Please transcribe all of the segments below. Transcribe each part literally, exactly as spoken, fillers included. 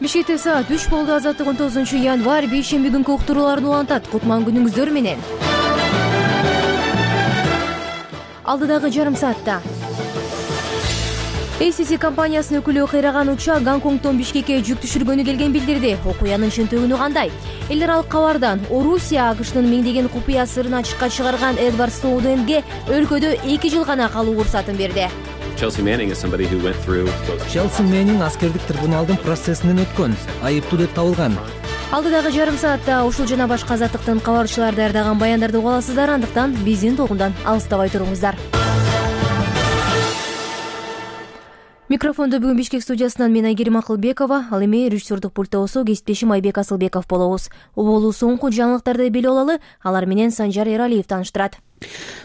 Бишкекте саат үч болду. Азаттык он тогузунчу январь бейшемби күнкү уктурууларын улантат. Кутман күнүңүздөр менен. Алдыдагы жарым саатта эй си си компаниясынын өкүлү кыйраган учак Гонконгдон Бишкекке жүк түшүргөнү келген билдирди. Окуянын чын төгүнү кандай? Эл аралык кабардан Орусия АКШтын миңдеген купуя сырын ачыкка чыгарган Эдвард Сноуденге өлкөдө эки жыл гана калуу уруксатын берди. Челси Мэннинг аскердик трибуналдын процессинен өткөн, айыптуу деп табылган. Алдыдагы жарым саатта ушул жана башка азаттыктын кабарчылары даярдаган баяндарды уга аласыздар. Андыктан биздин толкундан алыстабай туруңуздар. Микрофондо бүгүн Бишкек студиясынан мен Айгерим Акылбекова, ал эми режиссердук пультта болсо кесиптешим Айбек Асылбеков болобуз. Уболуу соңку жаңылыктарды билип алалы, алар менен Санжар Эралиев тааныштырат.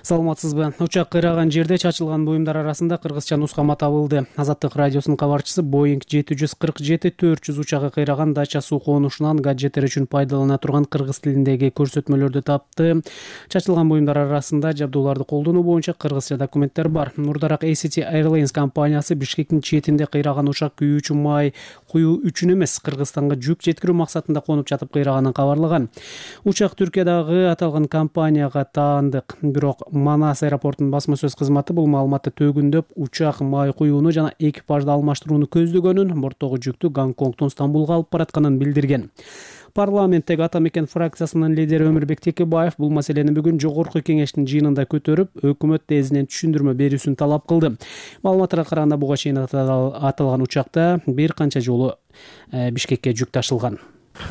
Саламатсызбы? Учак кыйраган жерде чачылган буюмдар арасында кыргызча нускама табылды. Азаттык радиосунун кабарчысы Боинг жети жүз кырк жети төрт жүз учагы кыйраган дача суу конушунан гаджеттер үчүн пайдалана турган кыргыз тилиндеги көрсөтмөлөрдү тапты. Чачылган буюмдар арасында жабдууларды колдонуу боюнча кыргызча документтер бар. Мурдараак эй си ти Airlines компаниясы Бишкектин четинде кыйраган учак күйүүчү май куюу үчүн эмес, Кыргызстанга жүк жеткирүү максатында конуп жатып кыйраганын кабарлаган. Учак Түркиядагы аталган компанияга таандык. Бирок Манас аэропортунун басма сөз кызматы бул маалыматты төгүндөп, учак май куюуну жана экипажды алмаштырууну көздөгөнүн, борттогу жүктү Гонконгдон Стамбулга алып баратканын билдирген. Парламенттеги Ата мекен фракциясынын лидери Өмүрбек Текебаев бул маселени бүгүн жогорку кеңештин жыйынында көтөрүп, өкмөт тезинен түшүндүрмө берүүсүн талап кылды. Маалыматтарга караганда буга чейин аталган учакта бир канча жолу Бишкекке жүк ташылган.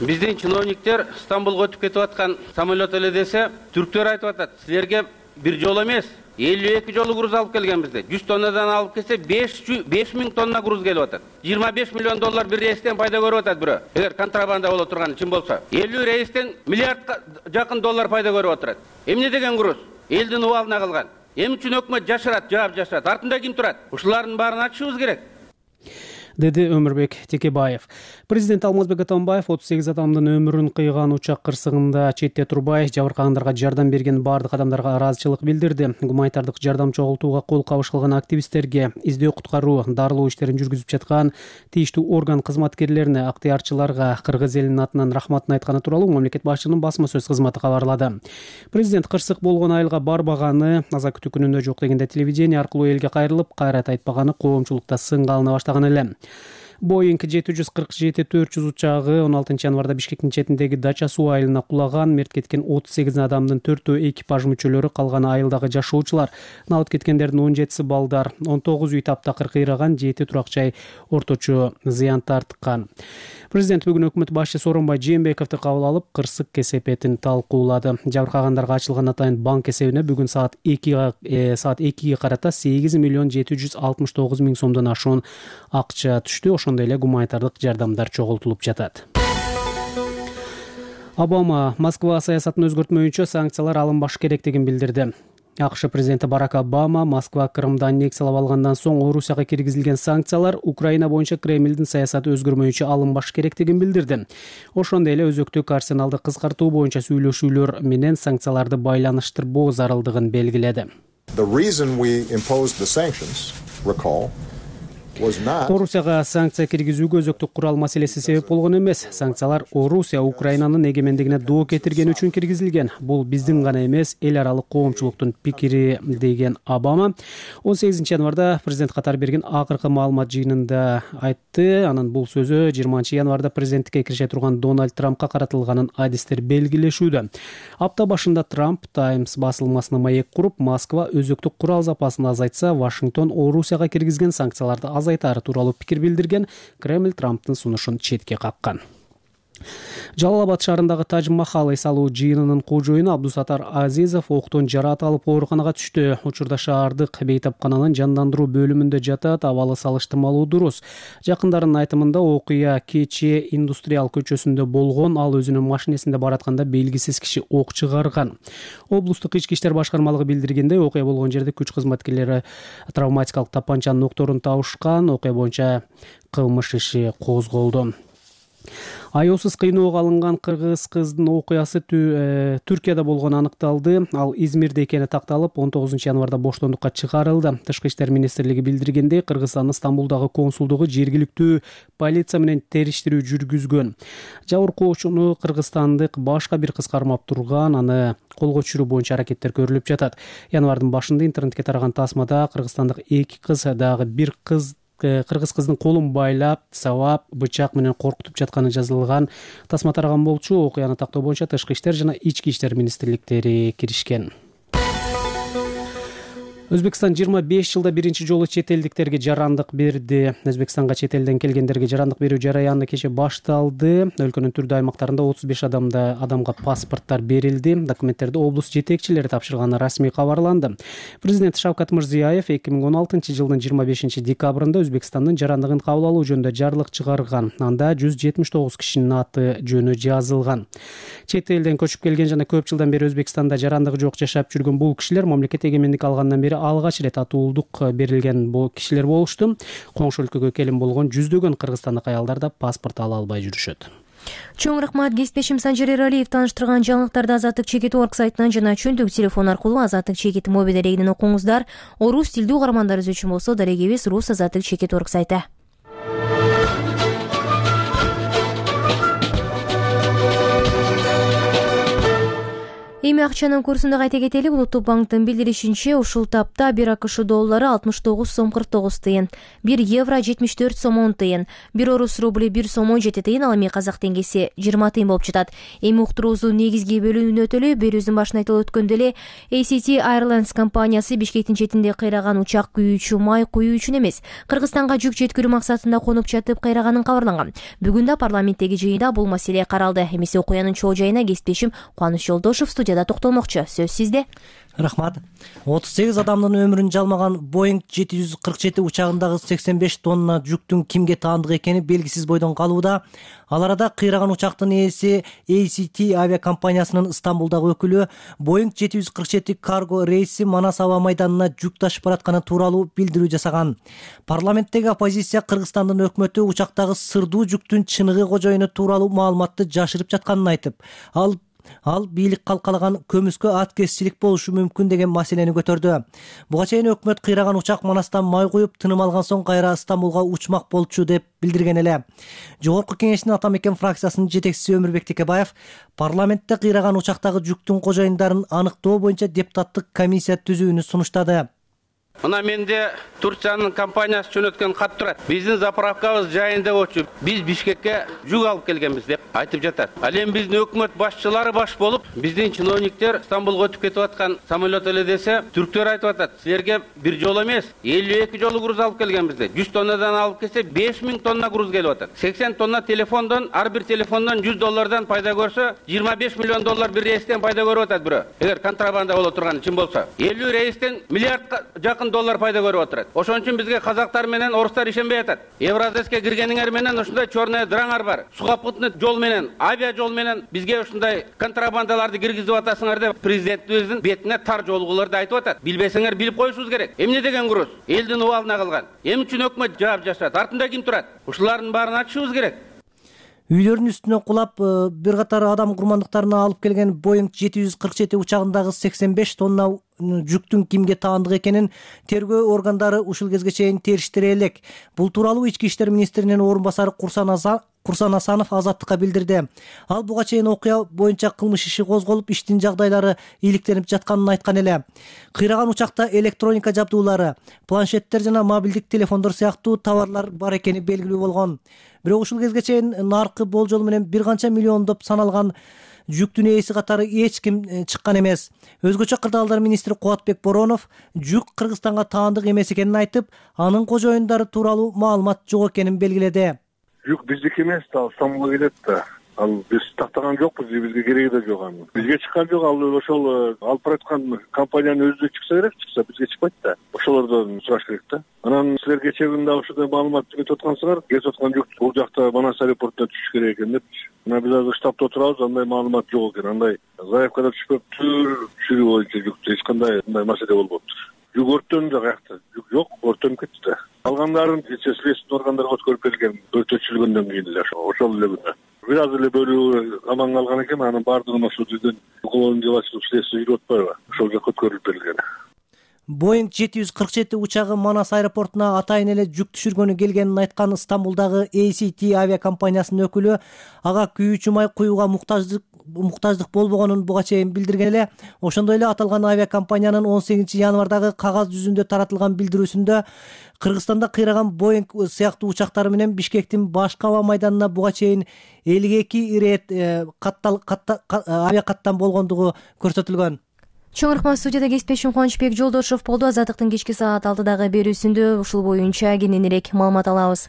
Биздин чиновниктер Стамбулга өтүп кетип аткан самолет эле десе, түрктөр айтып атат, силерге бир жол эмес, элүү эки жолу груз алып келгенбизде. жүз тоннадан алып келсе беш миң тонна груз келип атат. жыйырма беш миллион доллар бир рейстен пайда көрүп атат бирөө. Эгер контрабанда боло турганы чын болсо, элүү рейстен миллиардка жакын доллар пайда көрүп атат. Эмне деген груз? Элдин убалына калган. Эми үчүн өкмөт жашырат, жаап жашырат. Артында ким турат? Ушулардын баарын ачышыбыз керек, деди Өмүрбек Текебаев. Президент Алмазбек Атамбаев отуз сегиз адамдын өмүрүн кыйган учак кырсыгында четте турбай жабыркагандарга жардам берген бардык адамдарга ыраазычылык билдирди. Гуманитардык жардам чогултууга кол кабыш кылган активисттерге, издөө куткаруу, дарылоо иштерин жүргүзүп жаткан тийиштүү орган кызматкерлерине, актыярчыларга кыргыз элинин атынан рахматын айтканы тууралуу мамлекет башчынын басма сөз кызматы кабарлады. Президент кырсык болгон айылга барбаганы, аза күтүү күнүндө жок дегенде телевидение аркылуу элге кайрылып, кайрат айтпаганы коомчулукта сынга алына баштаган эле. Боинг жети жүз кырк жети төрт жүз учагы он алтынчы январда Бишкектин четиндеги дача суу айылына кулаган. Мерт кеткен отуз сегиз адамдын төртөө экипаж мүчөлөрү, калганы айылдагы жашоочулар. Налыт кеткендердин он жетиси балдар. он тогуз үй таптакыр кыйраган, жети турак жай орточо зыян тарткан. Президент бүгүн өкмөт башчысы Сооронбай Жээнбековду кабыл алып, кырсык кесепетин талкуулады. Жабыркагандарга ачылган атайын банк эсебине бүгүн саат экиге карата сегиз миллион жети жүз алтымыш тогуз миң сомдон ашуун акча түштү. Ошондой эле гуманитардык жардамдар чогултулуп жатат. Обама Москва саясатын өзгөртмөйүнчө санкциялар алынбаш керектигин билдирди. АКШ президенти Барак Обама Москва Крымды аннексиялап алгандан соң Орусияга киргизилген санкциялар Украина боюнча Кремлдин саясаты өзгөрмөйүнчө алынбаш керектигин билдирди. Ошондой эле өзөктүк арсеналды кыскартуу боюнча сүйлөшүүлөр менен санкцияларды байланыштырбоо зарылдыгын белгиледи. Орусияга санкция киргизүүгө өзөктүк курал маселеси себеп болгон эмес. Санкциялар Орусия Украинанын эгемендигине доо кетирген үчүн киргизилген. Бул биздин гана эмес, эл аралык коомчулуктун пикири, деген Обама он сегизинчи январда президент катары берген акыркы маалымат жыйынында айтты. Анын бул сөзү жыйырманчы январда президенттикке киреше турган Дональд Трампка каратылганын адистер белгилешүүдө. Апта башында Трамп Times басылмасына маек куруп, Москва өзөктүк курал запасын азайтса, Вашингтон Орусияга киргизген санкцияларды азайтары тууралуу пикир билдирген. Кремль Трамптын сунушун четке каккан. Жалал-Абад шаарындагы Тадж Махал эс алуу жыйынынын кожоюну Абдусатар Азизов октон жараат алып ооруканага түштү. Учурда шаардык бейтапкананын жандандыруу бөлүмүндө жатат. Абалы салыштырмалуу дурус. Жакындарынын айтымында окуя кечээ Индустриал көчөсүндө болгон. Ал өзүнүн машинесинде баратканда белгисиз киши ок чыгарган. Облустук ички иштер башкармалыгы билдиргендей, окуя болгон жерде күч кызматкерлери травматикалык тапанчанын октторун табышкан. Окуя боюнча кылмыш иши козголду. Аяусыз кыйноого алынган кыргыз кыздын окуясы Түркияда болгону аныкталды. Ал Измирде экени такталып, он тогузунчу январда боштондукка чыгарылды. Тышкы иштер министрлиги билдиргендей, Кыргызстандын Стамбулдагы консулдугу жергиликтүү полиция менен териштирүү жүргүзгөн. Жабыркоочуну кыргызстандык башка бир кыз кармап турган, аны колго түшүрүү боюнча аракеттер көрүлүп жатат. Январдын башында интернетке тараган тасмада кыргызстандык эки кыз дагы бир кыз кыргыз кыздын колун байлап, сабап, бычак менен коркутуп жатканы жазылган. Тасма тараган болчу. Окуяны тактоо боюнча Тышкы иштер жана Ички иштер министрликтери киришкен. Өзбекстан жыйырма беш жылда биринчи жолу чет элдиктерге жарандык берди. Өзбекстанга чет элден келгендерге жарандык берүү жараяны кечээ башталды. Өлкөнүн түрдүү аймактарында отуз беш адамда адамга паспорттар берилди. Документтерди облус жетекчилери тапшырганы расмий кабарланды. Президент Шавкат Мирзиёев эки миң он алтынчы жылдын жыйырма бешинчи декабрында Өзбекстандын жарандыгын кабыл алуу жөнүндө жарлык чыгарган. Анда жүз жетимиш тогуз кишинин аты жөнү жазылган. Чет элден көчүп келген жана көп жылдан бери Өзбекстанда жарандыгы жок жашап жүргөн бул кишилер мамлекет эгемендик алгандан бери алгач ирет атуулдук берилген бул кишилер болушту. Коңшу өлкөгө келин болгон жүздөгөн кыргызстандык аялдар да паспорт ала албай жүрүшөт. Чоң рахмат. Кесиптешим Санжар Эралиев тааныштырган жаңылыктарды Азаттык Чекит орг сайтынан жана чөнтөк телефон аркылуу Азаттык Чекит мобиль дарегинен окуңуздар. Орус тилдүү угармандарыбыз үчүн болсо дарегибиз Рус Азаттык Чекит орг сайты. Эми акчанын курсун да кайта кетели. Улуттук банктын билдиришинче, ушул тапта бир АКШ доллары алтымыш тогуз сом кырк тогуз тыйын, бир евро жетимиш төрт сом он тыйын, бир орус рубли бир сом он жети тыйын, ал эми казак теңгеси жыйырма тыйын болуп жатат. Эми уктуруубуздун негизги бөлүгүнө өтөлү. Берүүбүздүн башында айтылып өткөндөй эле A C T Airlines компаниясы Бишкектин четинде кыйраган учак күйүүчү май куюу үчүн эмес, Кыргызстанга жүк жеткирүү максатында конуп жатып кыйраганын кабарланган. Бүгүн да парламенттеги жыйында бул маселе каралды. Эмесе окуянын чоо жайына кесиптешим Кубаныч Жолдошов студияда токтолмокчу. Сөз сизде. Рахмат. отуз сегиз адамдын өмүрүн жалмаган Boeing жети жүз кырк жети учагындагы сексен беш тонна жүктүн кимге таандык экени белгисиз бойдон калууда. Ал арада кыйраган учактын ээси A C T авиакомпаниясынын Стамбулдагы өкүлү Boeing жети жүз кырк жети карго рейси Манас аба майданына жүк ташып баратканы тууралуу билдирүү жасаган. Парламенттеги оппозиция Кыргызстандын өкмөтү учактагы сырдуу жүктүн чыныгы кожоюну тууралуу маалыматты жашырып жатканын айтып, ал Ал бийлик калкалаган көмүскө аткезчилик болушу мүмкүн деген маселени көтөрдү. Буга чейин өкмөт кыйраган учак Манастан май куюп, тыным алган соң кайра Стамбулга учмак болчу деп билдирген эле. Жогорку кеңештин Ата мекен фракциясынын жетекчиси Өмүрбек Текебаев парламентте кыйраган учактагы жүктүн кожоюндарын аныктоо боюнча депутаттык комиссия түзүүнү сунуштады. Мына менде Турциянын компаниясы жөнөткөн кат турат. Биздин заправкабыз жайында болчу. Биз Бишкекке жүк алып келгенбиз деп айтып жатат. Ал эми биздин өкмөт башчылары баш болуп, биздин чиновниктер Стамбулга өтүп кетип аткан самолет эле десе, түрктөр айтып атат. Силерге бир жолу эмес, элүү эки жолу груз алып келгенбиз деп. жүз тоннадан алып келсе беш миң тонна груз келип атат. сексен тонна телефондон, ар бир телефондон жүз доллардан пайда көрсө, жыйырма беш миллион доллар бир рейстен пайда көрүп атат бирөө. Эгер контрабанда боло турганы чын болсо, элүү рейстен миллиардка жакын доллар пайда көрүп отурат. Ошон үчүн бизге казактар менен орустар ишенбей атат. Евразеске киргениңер менен ушундай чорная дыраңар бар. Сухопутный жол менен, авиа жол менен бизге ушундай контрабандаларды киргизип атасыңар деп президентибиздин бетине тар жолгуларды айтып атат. Билбесеңер билип коюшубуз керек. Эмне деген груз? Элдин убалына кылган. Эмне үчүн өкмөт жаап жашат? Артында ким турат? Ушулардын баарын ачышыбыз керек. Үйлөрүнүн үстүнө кулап, бир катар адам курмандыктарына алып келген Boeing жети жүз кырк жети учагындагы сексен беш тонна жүктүн кимге таандык экенин тергөө органдары ушул кезге чейин териштире элек. Бул тууралуу Ички иштер министринин орун басары Курсан Асанов Азаттыкка билдирди. Ал буга чейин окуя боюнча кылмыш иши козголуп, иштин жагдайлары ийгиликтенип жатканын айткан эле. Кыйраган учакта электроника жабдуулары, планшеттер жана мобилдик телефондор сыяктуу товарлар бар экени белгилүү болгон. Бирок ушул кезге чейин наркы болжол менен бир канча миллиондоп саналган жүктүн ээси катары эч ким чыккан эмес. Өзгөчө кырдаалдар министри Кубатбек Боронов жүк Кыргызстанга таандык эмес экенин айтып, анын кожоюндары тууралуу маалымат жок экенин белгиледи. Жүк биздики эмес, ал Стамбулга келет да. Ал биз тактаган жокпуз, бизге кереги да жок анын. Бизге чыккан жок, ал ошол алып бараткан компаниянын өзү чыкса керек, чыкса бизге чыкпайт да. Ошолордон сураш керек да. Анан силер кечээ күндө ушундай маалымат кетип аткансыңар, кетип аткан жүк бул жакта Манас аэропортуна түшүш керек экен деп. Мына биз азыр штабта отурабыз, андай маалымат жок экен. Андай заявкада түшпөптүр, түшүрүү боюнча жүктү эч кандай мындай маселе болбоптур. жүк өрттөнүп да каякта жүк жок, өрттөнүп кетти да. Калгандарын следственный органдарга өткөрүп берген өртөтүлгөндөн кийин эле ошол эле күнү. Бир аз эле бөлүгү аман калган экен, анын баардыгын ошол жерден уголовный дело следствие жүрүп атпайбы, ошол жака өткөрүлүп берилген. Боинг жети жүз кырк жети учагы Манас аэропортуна атайын эле жүк түшүргөнү келгенин айткан Стамбулдагы A C T авиакомпаниясынын өкүлү ага күйүүчү май куюуга муктаждык муктаждык болбогонун буга чейин билдирген эле. Ошондой эле аталган авиакомпаниянын он сегизинчи январдагы кагаз жүзүндө таратылган билдирүүсүндө Кыргызстанда кыйраган Боинг сыяктуу учактары менен Бишкектин башкы аба майданына буга чейин элүү эки ирет авиакаттам болгондугу көрсөтүлгөн. Чоң рахмат. Студияда кесиптешим Кубанычбек Жолдошов болду. Азаттыктын кечки саат алтыдагы берүүсүндө ушул боюнча кененирээк маалымат алабыз.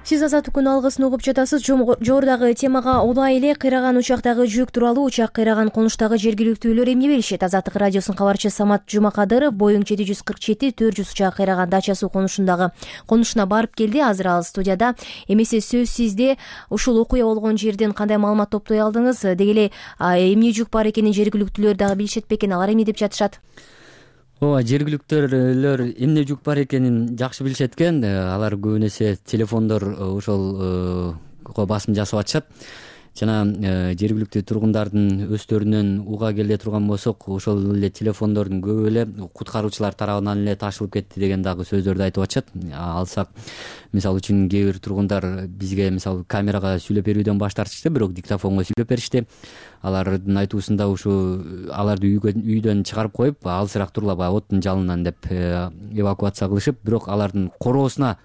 Сиз Азаттыктын алгысын угуп жатасыз. Жогорудагы темага улай эле кыйраган учактагы жүк тууралуу учак кыйраган конуштагы жергиликтүүлөр эмне билишет? Азаттык радиосунун кабарчысы Самат Жумакадыров Боинг жети жүз кырк жети төрт жүз учак кыйраган Дача суу конушундагы конушуна барып келди. Азыр ал студияда. Эмесе сөз сизде. Ушул окуя болгон жерден кандай маалымат топтой алдыңыз? Деги эле эмне жүк бар экенин жергиликтүүлөр дагы билишет бекен? Алар эмне деп жатышат? Ооба, жергиликтүүлөр эмне жүк бар экенин жакшы билишет экен. Алар көбүн эсе телефондор ошол басым жасап атышат. Жана жергиликтүү тургундардын өздөрүнөн уга келе турган болсок, ошол эле телефондордун көбү эле куткаруучулар тарабынан эле ташылып кетти деген дагы сөздөрдү айтып атышат. Алсак, мисалы үчүн кээ бир тургундар бизге мисалы камерага сүйлөп берүүдөн баш тартышты, бирок диктофонго сүйлөп беришти. Алардын айтуусунда ушу аларды үйдөн чыгарып коюп, алысыраак тургула баягы оттун жалынан деп эвакуация кылышып, бирок алардын короосуна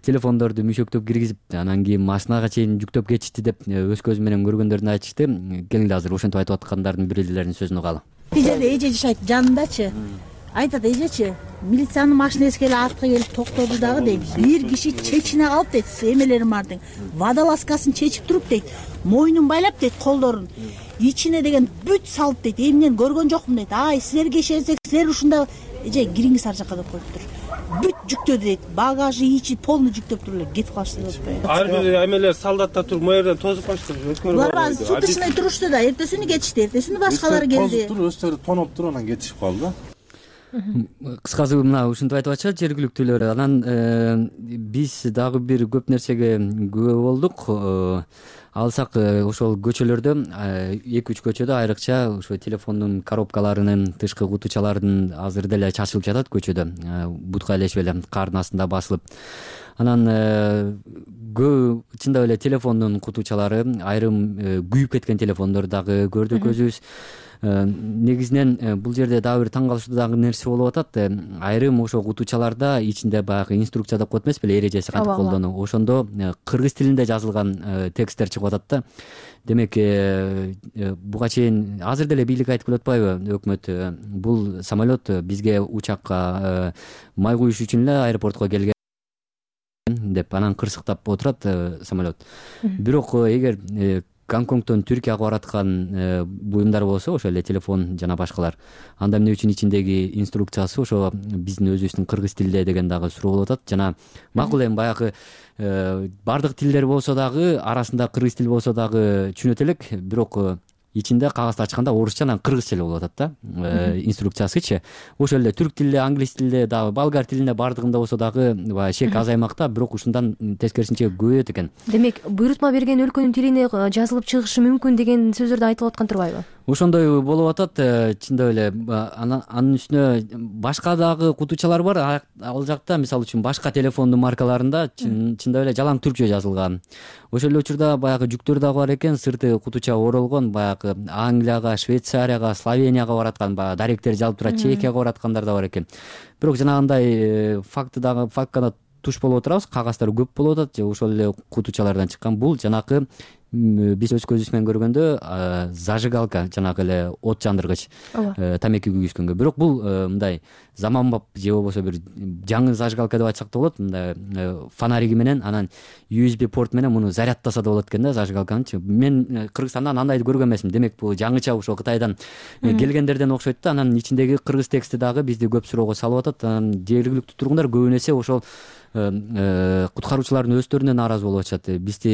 телефондорду мүйшөктөп киргизип, анан кийин машинага чейин жүктөп кетишти деп өз көзү менен көргөндөрүн айтышты. Келгиле азыр ошентип айтып аткандардын бирилеринин сөзүн угалы. Тижеде эже жашайт жанындачы. Айтат эжечи, милициянын машинеси келип артка келип токтоду дагы дейт. Бир киши чечине калып дейт, эмелери бардың. Водолазкасын чечип туруп дейт. Мойнун байлап дейт, колдорун. Ичине деген бүт салып дейт. Эмнен көргөн жокмун дейт. Ай, силерге ишенсек, силер ушунда эже кириңиз ар жака деп коюптур. Бүт жүктөдү дейт. Багажы ичи полный жүктөп туруп эле кетип калышты деп атпайбы? Ар бир эмелер солдаттар туруп моерден тосуп калышты. Булар сутушный турушту да, эртесини кетишти. Эртесини башкалар келди. Өздөрү тоноп туруп анан кетишип калды. Кыскасы мына ушинтип айтып атышат жергиликтүүлөр. Анан биз дагы бир көп нерсеге күбө болдук. Алсак ошол көчөлөрдө эки үч көчөдө айрыкча ошо телефондун коробкаларынын тышкы кутучалардын азыр деле чачылып жатат көчөдө. Бутка илешип эле кардын астында басылып. Анан көбү чындап эле телефондун кутучалары, айрым күйүп кеткен телефондор дагы көрдүк өзүбүз. Негизинен бул жерде дагы бир таң калыштуу дагы нерсе болуп атат. Айрым ошо кутучаларда ичинде баягы инструкция деп коет эмес беле, эрежеси кантип колдонуу. Ошондо кыргыз тилинде жазылган тексттер чыгып атат да. Демек, буга чейин азыр деле бийлик айтып келип атпайбы, өкмөт бул самолет бизге учакка май куюш үчүн эле аэропортко келген деп анан кырсыктап отурат самолет. Бирок эгер Гонконгдон Түркияга бараткан буюмдар болсо, ошо эле телефон жана башкалар, анда эмне үчүн ичиндеги инструкциясы ошо биздин өзүбүздүн кыргыз тилде деген дагы суроо болуп атат. Жана макул эми баягы бардык тилдер болсо дагы, арасында кыргыз тил болсо дагы түшүнөт элек, бирок ичинде кагазды ачканда орусча анан кыргызча эле болуп атат да инструкциясычы. Ошол эле түрк тилде, англис тилде, дагы болгар тилинде бардыгында болсо дагы баягы шек азаймакта, бирок ушундан тескерисинче көбөйөт экен. Демек, буйрутма берген өлкөнүн тилине жазылып чыгышы мүмкүн деген сөздөр да айтылып аткан турбайбы? Ошондой болуп атат. Чындап эле анын үстүнө башка дагы кутучалар бар. Ал жакта мисалы үчүн башка телефондун маркаларында чындап эле жалаң түркчө жазылган. Ошол эле учурда баягы жүктөр дагы бар экен, сырты кутуча оролгон, баягы Англияга, Швейцарияга, Словенияга бараткан, баягы даректер жалып турат, Чехияга бараткандар да бар экен. Бирок жанагындай факты дагы фактка туш болуп отурабыз, кагаздар көп болуп атат, ошол эле кутучалардан чыккан. Бул жанакы биз өз көзүбүз менен көргөндө зажигалка, жанагы эле от жандыргыч, тамеки күйгүзгөнгө. Бирок бул мындай заманбап же болбосо бир жаңы зажигалка деп айтсак да болот, мындай фонариги менен анан ю эс би порт менен муну зарядтаса да болот экен да жажигалканычы. Мен Кыргызстандан андайды көргөн эмесмин. Демек бул жаңыча ошо Кытайдан келгендерден окшойт да. Анан ичиндеги кыргыз тексти дагы бизди көп суроого салып атат. Анан жергиликтүү тургундар көбүн эсе ошол куткаруучулардын өздөрүнө нааразы болуп атышат. Бизди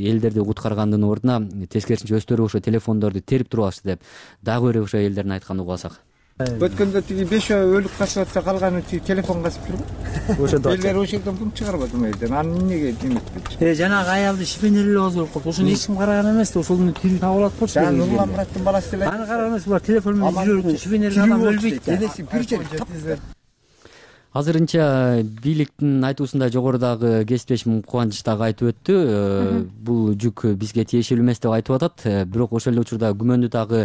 элдерди куткаргандын ордуна тескерисинче өздөрү ошо телефондорду терип туруп алышты деп дагы бир ошо элдердин айтканын угуп алсак. Өткөндө тиги беш өлүк касып атса калганы тиги телефон касып жүрбү. Ошондо элдер ошол жерден пул чыгарбады ма элдер. Аны эмнеге деметпечи. Э жанагы аялды шифенерлеп алып коюп, ошону эч ким караган эмес да, ошону тирүү таап алат болчу. Жана Нурлан Мураттын баласы эле. Аны караган эмес, булар телефон менен жүрөт, шифенерлеп адам өлбөйт да. Элесин бир жерде. Азырынча бийликтин айтуусунда жогорудагы кесиптешим Кубаныч дагы айтып өттү. Бул жүк бизге тиешелүү эмес деп айтып атат. Бирок ошол эле учурда күмөндүү дагы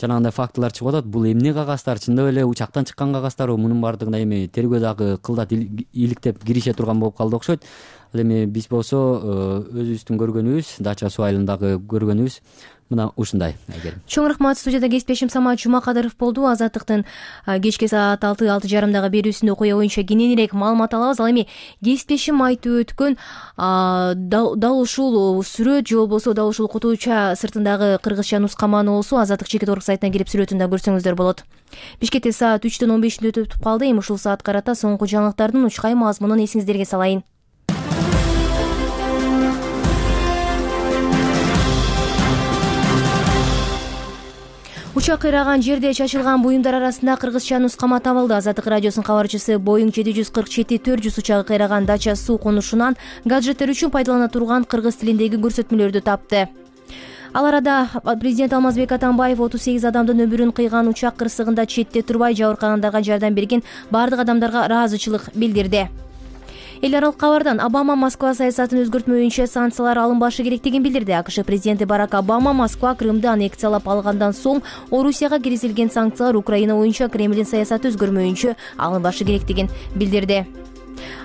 жанагындай фактылар чыгып атат. Бул эмне кагаздар, чындап эле учактан чыккан кагаздарбы? Мунун баардыгына эми тергөө дагы кылдат иликтеп кирише турган болуп калды окшойт. Ал эми биз болсо өзүбүздүн көргөнүбүз, Дача суу айылындагы көргөнүбүз мына ушундай. Чоң рахмат. Студияда кесиптешим Самат Жумакадыров болду. Азаттыктын кечки саат алты алты жарымдагы берүүсүндө окуя боюнча кененирээк маалымат алабыз. Ал эми кесиптешим айтып өткөн дал ушул сүрөт же болбосо дал ушул кутууча сыртындагы кыргызча нускамануусу Азаттык чекит орг сайтына кирип сүрөтүн да көрсөңүздөр болот. Бишкекте саат үчтөн он бешинде өтүп калды. Эми ушул саат карата соңку жаңылыктардын учкай мазмунун эсиңиздерге салайын. Учак кыйраган жерде чачылган буюмдар арасында кыргызча нускама табылды. Азаттык радиосунун кабарчысы Боeing жети жүз кырк жети төрт жүз учагы кыйраган Дача суу конушунан гаджеттер үчүн пайдалана турган кыргыз тилиндеги көрсөтмөлөрдү тапты. Ал арада президент Алмазбек Атамбаев отуз сегиз адамдын өмүрүн кыйган учак кырсыгында четте турбай жабыркагандарга жардам берген бардык адамдарга ыраазычылык билдирди. Эл аралык кабардан Обама Москва саясатын өзгөртмөйүнчө санкциялар алынбашы керектигин билдирди. АКШ президенти Барак Обама Москва Крымды аннексиялап алгандан соң Орусияга киргизилген санкциялар Украина боюнча Кремлдин саясаты өзгөрмөйүнчө алынбашы керектигин билдирди.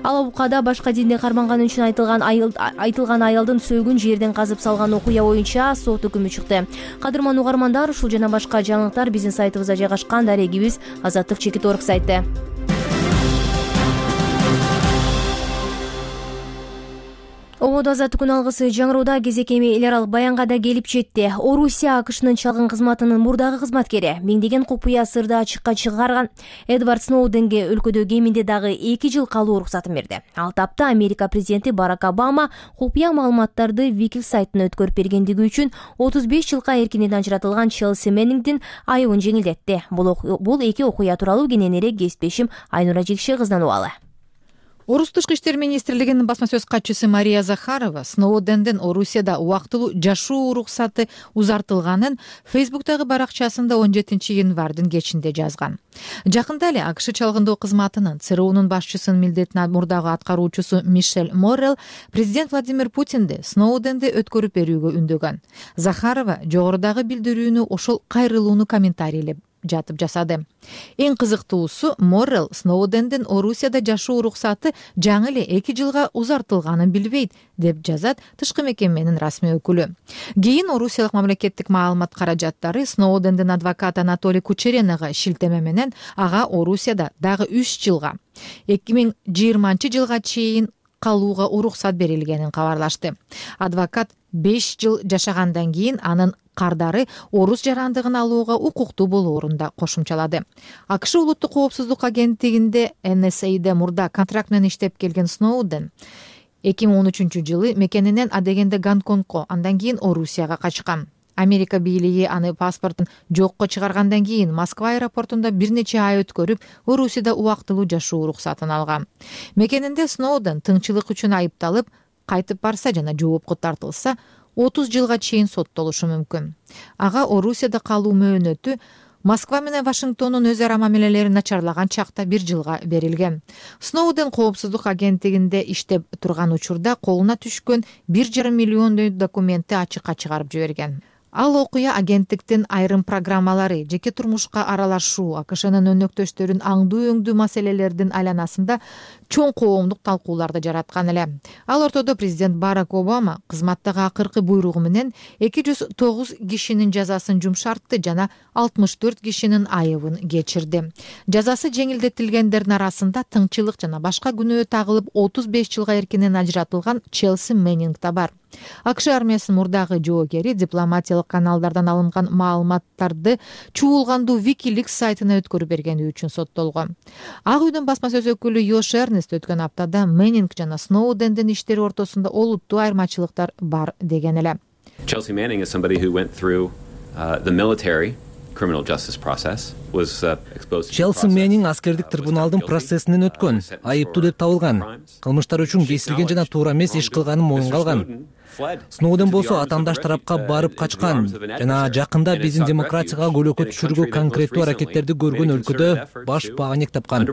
Ал убакта башка динди карманганы үчүн айтылган айтылган аялдын сөөгүн жерден казып салган окуя боюнча сот өкүмү чыкты. Кадырман угармандар, ушул жана башка жаңылыктар биздин сайтыбызда жайгашкан. Дарегибиз Азаттык чекит орг сайты. Ободо азаттык күн алгысы жаңырууда кезек эми эл аралык баянга да келип жетти. Орусия АКШнын чалгын кызматынын мурдагы кызматкери, миңдеген купуя сырды ачыкка чыгарган Эдвард Сноуденге өлкөдө кеминде дагы эки жыл калуу уруксатын берди. Ал тапта Америка президенти Барак Обама купуя маалыматтарды Wikileaks сайтына өткөрүп бергендиги үчүн отуз беш жылга эркинен ажыратылган Челси Меннингдин айыбын жеңилдетти. Бул эки окуя тууралуу кененирээк кесиптешим Айнура Жекше кыздан убалы. Орус тышкы иштер министрлигинин басма сөз катчысы Мария Захарова Сноудендин Орусияда убактылуу жашоо уруксаты узартылганын Фейсбуктагы баракчасында он жетинчи январдын кечинде жазган. Жакында эле АКШ чалгындоо кызматынын ЦРУнун башчысынын милдетин мурдагы аткаруучусу Мишель Моррелл президент Владимир Путинди Сноуденди өткөрүп берүүгө үндөгөн. Захарова жогорудагы билдирүүнү ошол кайрылууну комментарийлеп жатып жасады. Эң кызыктуусу Моррелл Сноудендин Орусияда жашоо уруксаты жаңы эле эки жылга узартылганын билбейт деп жазат тышкы мекеменин расмий өкүлү. Кийин Орусиялык мамлекеттик маалымат каражаттары Сноудендин адвокаты Анатолий Кучеренага шилтеме менен ага Орусияда дагы үч жылга эки миң жыйырманчы жылга чейин калууга уруксат берилгенин кабарлашты. Адвокат беш жыл жашагандан кийин анын кардары орус жарандыгын алууга укуктуу болоорун да кошумчалады. АКШ улуттук коопсуздук агенттигинде Эн Эс Эйде мурда контракт менен иштеп келген Сноуден эки миң он үчүнчү жылы мекенинен адегенде Гонконгко, андан кийин Орусияга качкан. Америка бийлиги аны паспортун жокко чыгаргандан кийин Москва аэропортунда бир нече ай өткөрүп, Орусияда убактылуу жашоо уруксатын алган. Мекенинде Сноуден тыңчылык үчүн айыпталып, кайтып барса жана жоопко тартылса, отуз жылга чейин соттолушу мүмкүн. Ага Орусияда калуу мөөнөтү Москва менен Вашингтондун өз ара мамилелери начарлаган чакта бир жылга берилген. Сноуден коопсуздук агенттигинде иштеп турган учурда колуна түшкөн бир жарым миллион документти ачыкка чыгарып жиберген. Ал окуя агенттиктин айрым программалары, жеке турмушка аралашуу, АКШнын өнөктөштөрүн аңдуу өңдүү маселелердин айланасында чоң коомдук талкууларды жараткан эле. Ал ортодо президент Барак Обама кызматтагы акыркы буйругу менен эки жүз тогуз кишинин жазасын жумшартты жана алтымыш төрт кишинин айыбын кечирди. Жазасы жеңилдетилгендердин арасында тыңчылык жана башка күнөө тагылып отуз беш жылга эркинен ажыратылган Челси Меннинг да бар. АКШ армиясынын мурдагы жоокери дипломатиялык каналдардан алынган маалыматтарды чуулгандуу WikiLeaks сайтына өткөрүп бергени үчүн соттолгон. Ак үйдүн басма сөз өкүлү Йош Эрнест өткөн аптада Меннинг жана Сноудендин иштери ортосунда олуттуу айырмачылыктар бар деген эле. Chelsea Manning is somebody who went through uh, the military criminal justice process, was uh, exposed to Челси Меннинг аскердик трибуналдын процессинен өткөн, айыптуу деп табылган, кылмыштар үчүн кесилген жана туура эмес иш кылганын моюнга алган. Сноуден болсо атаандаш тарапка барып качкан жана жакында биздин демократияга көлөкө түшүрүүгө конкреттүү аракеттерди көргөн өлкөдө баш бааник тапкан.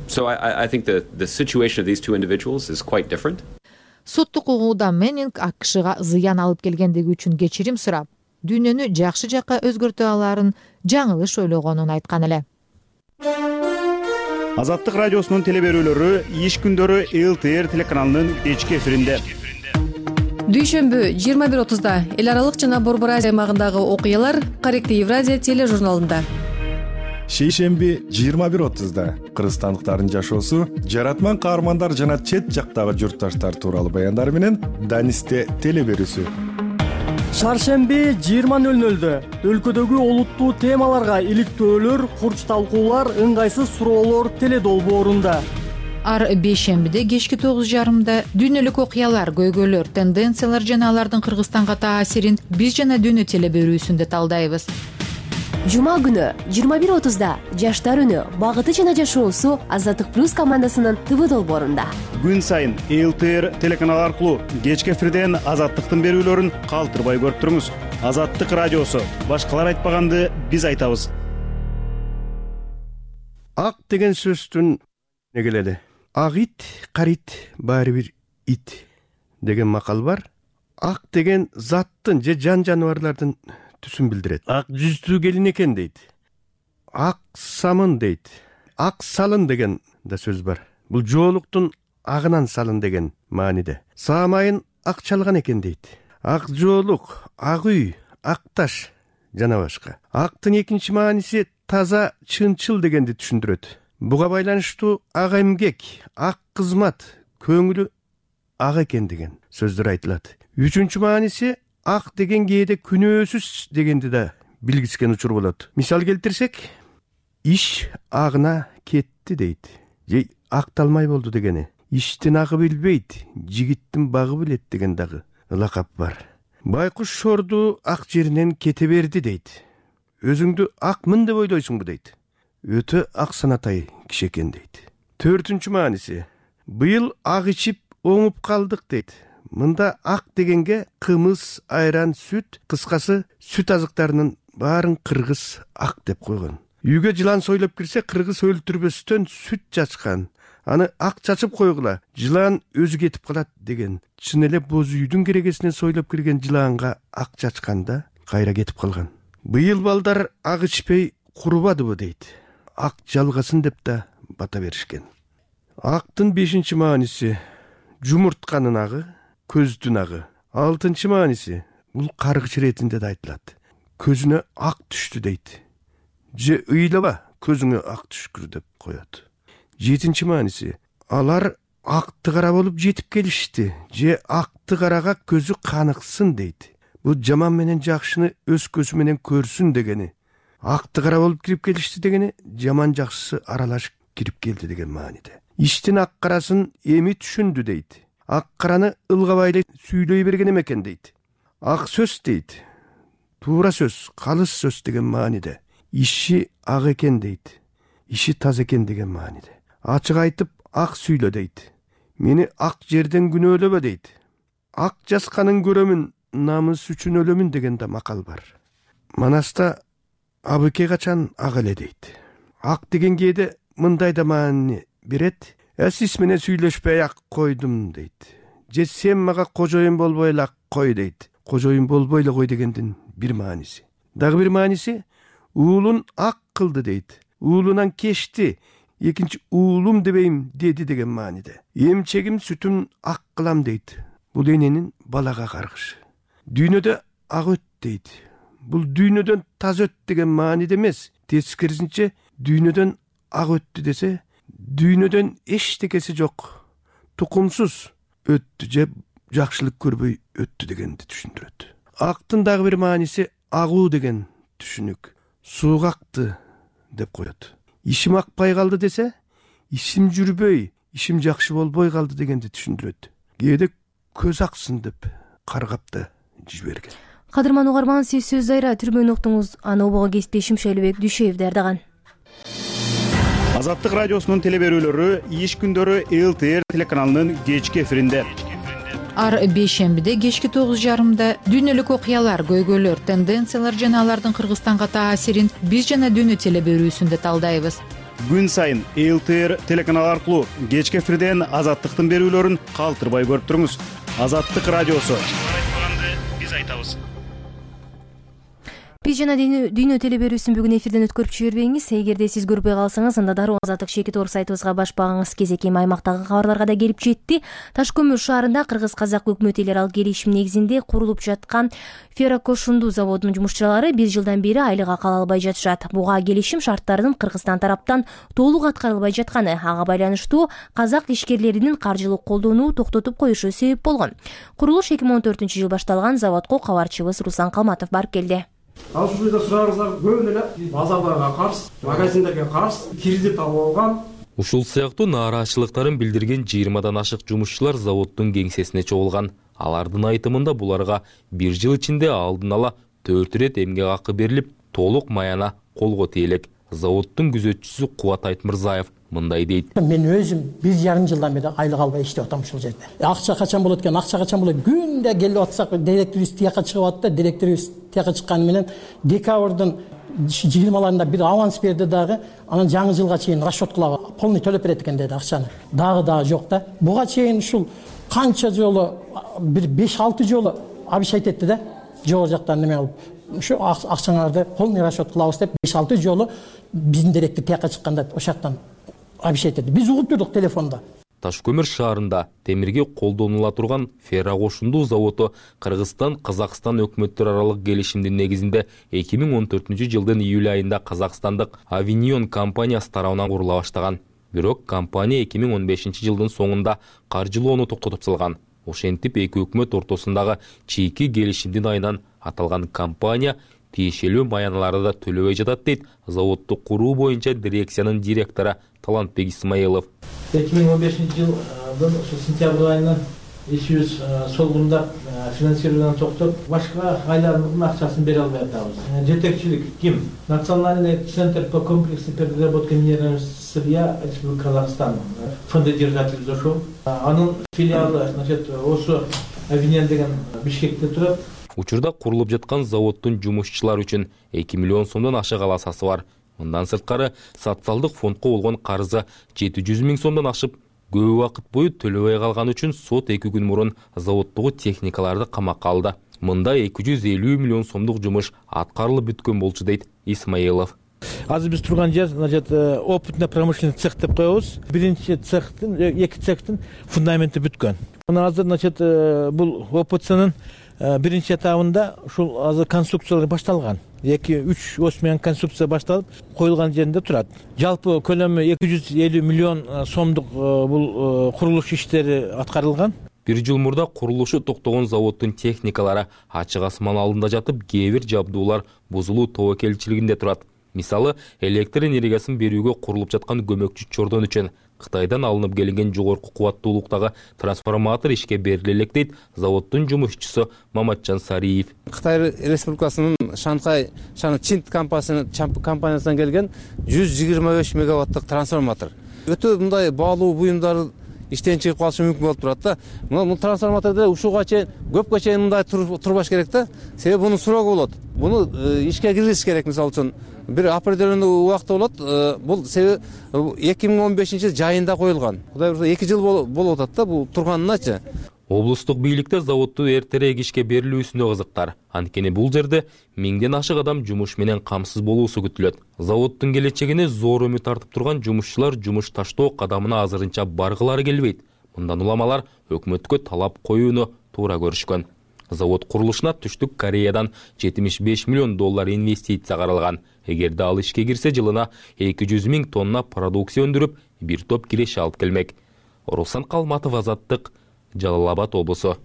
So I I think the the situation of these two individuals is quite different. Соттук угууда Меннинг АКШга зыян алып келгендиги үчүн кечирим сурап, дүйнөнү жакшы жакка өзгөртө аларын жаңылыш ойлогонун айткан эле. Азаттык радиосунун телеберүүлөрү иш күндөрү эл тэ эр телеканалынын кечки эфиринде. Дүйшөмбү жыйырма бир отузда эл аралык жана Борбор Азия аймагындагы окуялар Корректив Евразия тележурналында. Шейшемби жыйырма бир отузда кыргызстандыктардын жашоосу, жаратман каармандар жана чет жактагы журтташтар тууралуу баяндар менен Данисте телеберүүсү. Шаршемби жыйырма нөл нөлдө өлкөдөгү олуттуу темаларга иликтөөлөр, курч талкуулар, ыңгайсыз суроолор теледолбоорунда. Ар бейшембиде кечки тогуз жарымда дүйнөлүк окуялар, көйгөйлөр, тенденциялар жана алардын Кыргызстанга таасирин биз жана дүйнө телеберүүсүндө талдайбыз. Жума күнү жыйырма бир отузда жаштар үнү, багыты жана жашоосу Азаттык плюс командасынын ТВ долбоорунда. Күн сайын эл тэ эр телеканалы аркылуу кечки эфирден Азаттыктын берүүлөрүн калтырбай көрүп туруңуз. Азаттык радиосу, башкалар айтпаганды биз айтабыз. Ак деген сөздүн эмне келеди? Ак ит, карит, баары бир ит деген макал бар. Ак деген заттын же жан жаныбарлардын түсүн билдирет. Ак жүздүү келин экен дейт. Ак самын дейт. Ак салын деген да сөз бар. Бул жоолуктун агынан салын деген мааниде. Саамайын ак чалган экен дейт. Ак жоолук, ак үй, ак таш жана башка. Актын экинчи мааниси таза, чынчыл дегенди түшүндүрөт. Буга байланыштуу ак эмгек, ак кызмат, көңүлү ак экен деген сөздөр айтылат. Үчүнчү мааниси ак деген кээде күнөөсүз дегенди да билгискен учур болот. Мисал келтирсек, иш агына кетти дейт. Же акталмай болду дегени. Иштин агы билбейт, жигиттин багы билет деген дагы лакап бар. Байкуш шорду ак жеринен кете берди дейт. Өзүңдү акмын деп ойлойсуңбу дейт. Өтө ак санатай киши экен дейт. Төртүнчү мааниси, быйыл ак ичип оңуп калдык дейт. Мында ак дегенге кымыз, айран, сүт, кыскасы сүт азыктарынын баарын кыргыз ак деп койгон. Үйгө жылан сойлоп кирсе, кыргыз өлтүрбөстөн сүт чачкан. Аны ак чачып койгула, жылан өзү кетип калат деген. Чын эле боз үйдүн керегесинен сойлоп кирген жыланга ак чачканда кайра кетип калган. Быйыл балдар ак ичпей курубадыбы дейт. Ак жалгасын деп да бата беришкен. Актын бешинчи мааниси жумуртканын агы, көздүн агы. Алтынчы мааниси бул каргыч иретинде да айтылат. Көзүнө ак түштү дейт. Же ыйлаба, көзүңө ак түшкүр деп коет. Жетинчи мааниси алар акты кара болуп жетип келишти. Же акты карага көзү каныксын дейт. Бул жаман менен жакшыны өз көзү менен көрсүн дегени. Акты кара болуп кирип келишти дегени, жаман жакшысы аралашып кирип келди деген мааниде. Иштин ак карасын эми түшүндү дейт. Ак караны ылгабай сүйлөй берген экен дейт. Ак сөз дейт. Туура сөз, калыс сөз деген мааниде. Иши ак экен дейт. Иши таза экен деген мааниде. Ачык айтып ак сүйлө дейт. Мени ак жерден күнөөлөбө дейт. Ак жасканын көрөмүн, намыс үчүн өлөмүн деген да макал бар. Манаста абыке качан ак эле дейт. Ак деген кээде мындай да маани берет. Сиз менен сүйлөшпөй ак койдум дейт. Же сен мага кожоюн болбой эле ак кой дейт. кожоюн болбой эле кой дегендин бир мааниси. Дагы бир мааниси уулун ак кылды дейт. Уулунан кечти, экинчи уулум дебейм деди деген мааниде. Эмчегим сүтүн ак кылам дейт. Бул эненин балага каргышы. Дүйнөдө ак өт дейт. Бул дүйнөдөн таза өт деген мааниде эмес. Тескерисинче дүйнөдөн ак өттү десе, дүйнөдөн эчтекеси жок, тукумсуз өттү же жакшылык көрбөй өттү дегенди түшүндүрөт. Актын дагы бир мааниси агуу деген түшүнүк. Сууга акты деп коет. Ишим акпай калды десе, ишим жүрбөй, ишим жакшы болбой калды дегенди түшүндүрөт. Кээде көз аксын деп каргап да жиберген. Кадырман угарман, сиз сөз дайра түрмөнү уктуңуз. Аны обого кесиптешим Шайлыбек Дүйшөев даярдаган. Азаттык радиосунун телеберүүлөрү иш күндөрү эл тэ эр телеканалынын кечки эфиринде. Ар бейшембиде кечки тогуз жарымда дүйнөлүк окуялар, көйгөйлөр, тенденциялар жана алардын Кыргызстанга таасирин биз жана дүйнө телеберүүсүндө талдайбыз. Күн сайын эл тэ эр телеканалы аркылуу кечки эфирден Азаттыктын берүүлөрүн калтырбай көрүп туруңуз. Азаттык радиосу. Биз айтабыз. Биз жана дүйнө телеберүүсүн бүгүн эфирден өткөрүп жибербеңиз. Эгерде сиз көрбөй калсаңыз, анда дароо Азаттык Шеки Тор сайтыбызга баш багыңыз. Кезеки аймактагы кабарларга да келип жетти. Таш көмүр шаарында кыргыз-казак өкмөт эл аралык келишим негизинде курулуп жаткан феррокошунду заводунун жумушчулары бир жылдан бери айлык акы ала албай жатышат. Буга келишим шарттарынын Кыргызстан тараптан толук аткарылбай жатканы, ага байланыштуу казак ишкерлеринин каржылык колдоону токтотуп коюшу себеп болгон. Курулуш эки миң он төртүнчү жылы башталган. Заводко кабарчыбыз Руслан Калматов барып келди. Ал ушул жерде сураарыңыздар көбүнө эле базарларга каршы, магазиндерге каршы кредит алып алган. Ушул сыяктуу нааразычылыктарын билдирген жыйырмадан ашык жумушчулар заводдун кеңсесине чогулган. Алардын айтымында буларга бир жыл ичинде алдын ала төрт ирет эмгек акы берилип, толук маяна колго тийилет. Заводдун күзөтчүсү Кубат Айтмырзаев мындай дейт. Мен өзүм бир жарым жылдан бери айлык албай иштеп атам ушул жерде. Акча качан болот экен, акча качан болот? Күндө келип атсак, директорубуз тияка чыгып атты. Директорубуз тияка чыкканы менен декабрдын жыйырмаларында бир аванс берди дагы. Анан жаңы жылга чейин расчеткалап полный төлөп берет экен деди акчаны. Дагы дагы жок да. Буга чейин ушул канча жолу, бир беш алты жолу обещать этти да. Жогору жактан неме алып, ушу акчаңарды полный расчет кылабыз деп беш алты жолу биздин директор тияка чыкканда ошол жактан обещать этти. Биз угуп турдук телефондо. Таш көмүр шаарында темирге колдонула турган феррокошунду заводу Кыргызстан Казакстан өкмөттөр аралык келишимдин негизинде эки миң он төртүнчү жылдын июль айында Казакстандык Авиньон компаниясы тарабынан курула баштаган. Бирок компания эки миң он бешинчи жылдын соңунда каржылоону токтотуп салган. Ошентип эки өкмөт ортосундагы чийки келишимдин айынан аталган компания тиешелүү маяналарды да төлөбөй жатат дейт заводду куруу боюнча дирекциянын директору Талантбек Исмаилов. эки миң он бешинчи жылдын сентябрь айынан ишибиз солгундап финансированияны токтоп, башка айлардын акчасын бере албай атабыз. Жетекчилик ким? Национальный центр по комплексной переработке минерального сырья Республики Казахстан, фондодержатель ошол. Анын филиалы, значит, осы Авиньон деген Бишкекте турат. Учурда курулуп жаткан заводдун жумушчулар үчүн эки миллион сомдон ашык аласасы бар. Мындан сырткары социалдык фондко болгон карызы жети жүз миң сомдон ашып, көп убакыт бою төлөбөй калган үчүн сот эки күн мурун заводдогу техникаларды камакка алды. Мында эки жүз элүү миллион сомдук жумуш аткарылып бүткөн болчу дейт Исмаилов. Азыр биз турган жер, значит, опытно промышленный цех деп коебуз. Биринчи цехтин, эки цехтин фундаменти бүткөн. Анан азыр, значит, бул ОПЦнын биринчи этабында ушул азыр конструкциялар башталган. эки үч ос менен конструкция башталып, коюлган жеринде турат. Жалпы көлөмү эки жүз элүү миллион сомдук бул курулуш иштери аткарылган. Бир жыл мурда курулушу токтогон заводдун техникалары ачык асман алдында жатып, кээ бир жабдуулар бузулуу тобокелчилигинде турат. Мисалы, электр энергиясын берүүгө курулуп жаткан көмөкчү чордон үчүн Кытайдан алынып келинген жогорку кубаттуулуктагы трансформатор ишке бериле элек дейт заводдун жумушчусу Маматжан Сариев. Кытай Республикасынын Шанхай Чинт компаниясынан келген жүз жыйырма беш мегаваттык трансформатор. Өтө мындай баалуу буюмдар иштен чыгып калышы мүмкүн болуп турат да. Бул трансформатордо ушуга чейин көпкө чейин мындай турбаш керек да. Себеби мунун сурогу болот. Буну ишке киргизиш керек, мисалы үчүн бир определенный убакта болот. Бул себеби эки миң он бешинчи жайында коюлган. Кудай буюрса эки жыл болуп атат да бул турганыначы. Облустук бийликте заводду эртерээк ишке берилүүсүнө кызыктар. Анткени бул жерде миңден ашык адам жумуш менен камсыз болуусу күтүлөт. Заводдун келечегине зор үмүт артып турган жумушчулар жумуш таштоо кадамына азырынча баргылары келбейт. Мындан уламалар өкмөткө талап коюуну туура көрүшкөн. Завод курулушуна Түштүк Кореядан жетимиш беш миллион доллар инвестиция каралган. Эгерде ал ишке кирсе, жылына эки жүз миң тонна продукция өндүрүп, бир топ киреше алып келмек. Руслан Калматов, Азаттык, Жалал Абад облусу.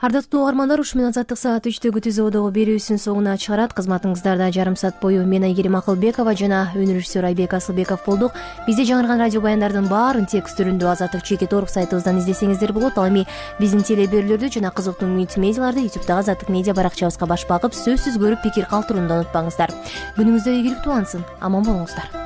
Ардактуу угармандар, ушу менен Азаттык саат үчтөгү түзөөдөгү берүүсүн соңуна чыгарат. Кызматыңыздарда жарым саат бою мен Айгерим Акылбекова жана өнөр режиссер Айбек Асылбеков болдук. Бизде жаңырган радио баяндардын баарын текст түрүндө Азаттык чекит орг сайтыбыздан издесеңиздер болот. Ал эми биздин телеберүүлөрдү жана кызыктуу мультимедиаларды ютубтагы Азаттык медиа баракчабызга баш багып, сөзсүз көрүп пикир калтырууну унутпаңыздар. Күнүңүздөр ийгиликтүү улансын. Аман болуңуздар.